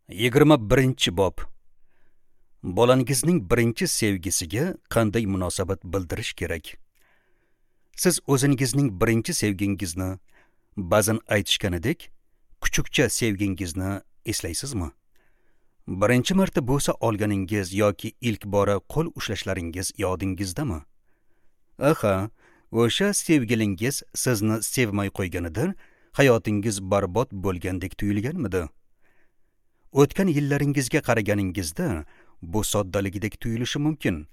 21-bob. Bolangizning birinchi sevgisiga qanday munosabat bildirish kerak? Siz o'zingizning birinchi sevgingizni, ba'zan aytishganidek, kuchukcha sevgingizni eslaysizmi? Birinchi marta bo'sa olganingiz yoki ilk bora qo'l ushlashlaringiz yodingizdami? Aha, o'sha sevgilingiz sizni sevmay qo'yganida hayotingiz barbod bo'lgandek tuyulganmidi? O'tgan yillaringizga qaraganingizda bu soddaligidek tuyulishi mumkin,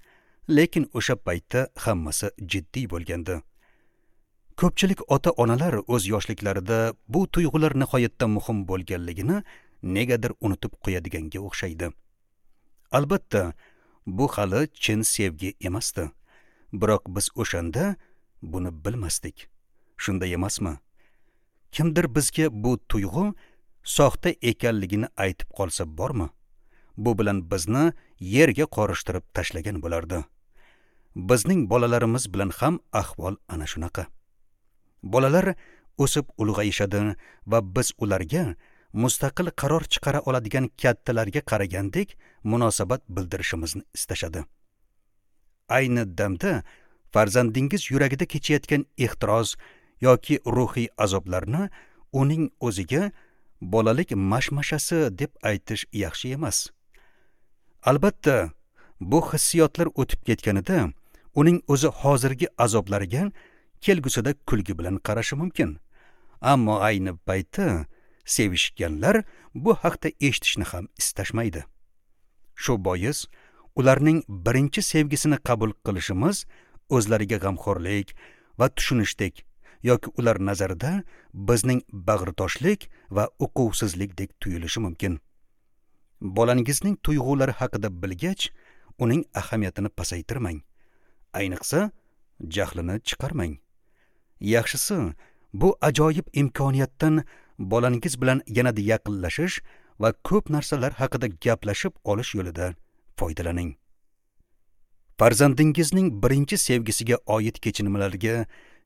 lekin o'sha paytda hammasi jiddiy bo'lgandi. Ko'pchilik ota-onalar o'z yoshliklarida bu tuyg'ular nihoyatda muhim bo'lganligini negadir unutib qo'yadiganga o'xshaydi. Albatta, bu hali chin sevgi emasdi. Biroq biz o'shanda buni bilmasdik. Shunday emasmi? Kimdir bizga bu tuyg'u soxta ekanligini aytib qolsa bormi? Bu bilan bizni yerga qorishtirib tashlagan bo'lardi. Bizning bolalarimiz bilan ham ahvol ana shunaqa. Bolalar o'sib ulg'ayishadi va biz ularga mustaqil qaror chiqara oladigan kattalarga qaragandek munosabat bildirishimizni istashadi. Ayni damda farzandingiz yuragida kechayotgan ehtiros yoki ruhiy azoblarni uning o'ziga bolalik mashmashasi deb aytish yaxshi emas. Albatta, bu hissiyotlar o'tib ketganida uning o'zi hozirgi azoblariga kelgusida kulgi bilan qarashi mumkin. Ammo ayni paytda sevishganlar bu haqda eshitishni ham istashmaydi. Shu bois ularning birinchi sevgisini qabul qilishimiz o'zlariga g'amxo'rlik va tushunishdek yoki ular nazarida bizning bag'ritoshlik va uquvsizlikdek tuyulishi mumkin. Bolangizning tuyg'ulari haqida bilgach, uning ahamiyatini pasaytirmang. Ayniqsa, jahlini chiqarmang. Yaxshisi, bu ajoyib imkoniyatdan bolangiz bilan yanada yaqinlashish va ko'p narsalar haqida gaplashib olish yo'lida foydalaning. Farzandingizning birinchi sevgisiga oid kechinmalarga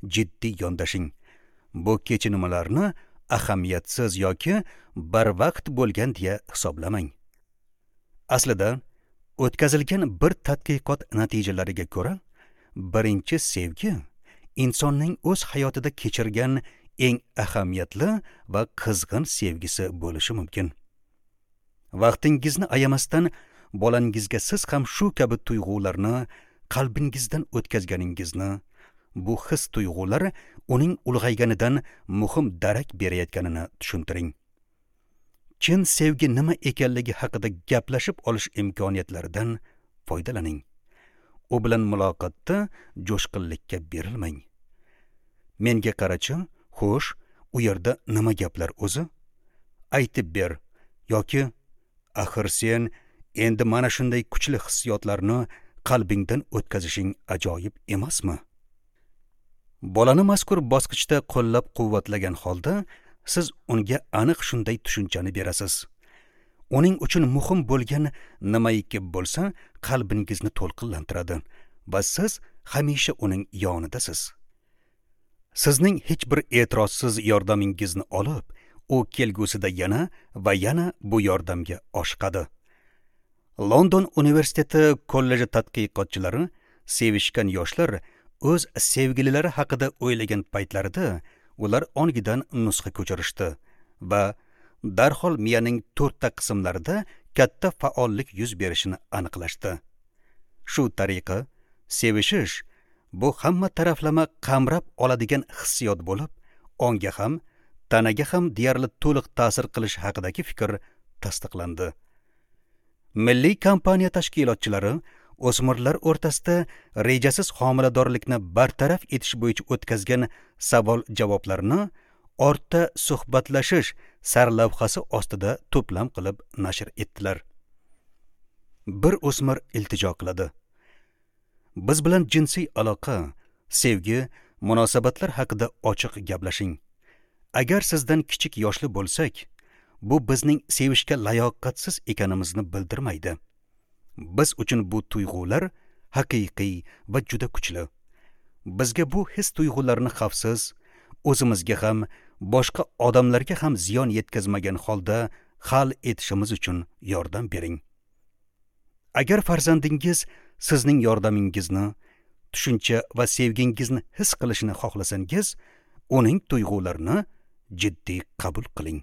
jiddiy yondashing. Bu kechinmalarni ahamiyatsiz yoki barvaqt bo'lgan deya hisoblamang. Aslida, o'tkazilgan bir tadqiqot natijalariga ko'ra, birinchi sevgi insonning o'z hayotida kechirgan eng ahamiyatli va qizg'in sevgisi bo'lishi mumkin. Vaqtingizni ayamasdan bolangizga siz ham shu kabi tuyg'ularni qalbingizdan o'tkazganingizni, bu his tuyg'ular uning ulg'ayganidan muhim darak berayotganini tushuntiring. Chin sevgi nima ekanligi haqida gaplashib olish imkoniyatlaridan foydalaning. U bilan muloqotda jo'shqinlikka berilmang. Menga qarachi, xo'sh, u yerda nima gaplar o'zi? Aytib ber yoki axir sen endi mana shunday kuchli hissiyotlarni qalbingdan o'tkazishing ajoyib emasmi? Bolani mazkur bosqichda qo'llab-quvvatlagan holda siz unga aniq shunday tushunchani berasiz. Uning uchun muhim bo'lgan nimaiki bo'lsa, qalbingizni to'lqinlantiradi va siz hamisha uning yonidasiz. Sizning hech bir e'tirozsiz yordamingizni olib, u kelgusida yana va yana bu yordamga oshiqadi. London universiteti kolleji tadqiqotchilari sevishgan yoshlar o'z sevgililari haqida o'ylagan paytlarida ular ongidan nusxa ko'chirishdi va darhol miyaning 4 ta qismlarida katta faollik yuz berishini aniqlashdi. Shu tariqa sevishish bu hamma taraflama qamrab oladigan hissiyot bo'lib, onga ham, tanaga ham deyarli to'liq ta'sir qilish haqidagi fikr tasdiqlandi. Milliy kompaniya tashkilotchilari o'smirlar o'rtasida rejasiz homiladorlikni bartaraf etish bo'yicha o'tkazgan savol-javoblarni ortda suhbatlashish sarlavhasi ostida to'plam qilib nashr etdilar. Bir o'smir iltijo qiladi. Biz bilan jinsiy aloqa, sevgi, munosabatlar haqida ochiq gaplashing. Agar sizdan kichik yoshli bo'lsak, bu bizning sevishga layoqatsiz ekanimizni bildirmaydi. Biz uchun bu tuyg'ular haqiqiy va juda kuchli. Bizga bu his tuyg'ularni xavfsiz, o'zimizga ham, boshqa odamlarga ham ziyon yetkazmagan holda hal etishimiz uchun yordam bering. Agar farzandingiz sizning yordamingizni, tushuncha va sevgingizni his qilishini xohlasangiz, uning tuyg'ularini jiddiy qabul qiling.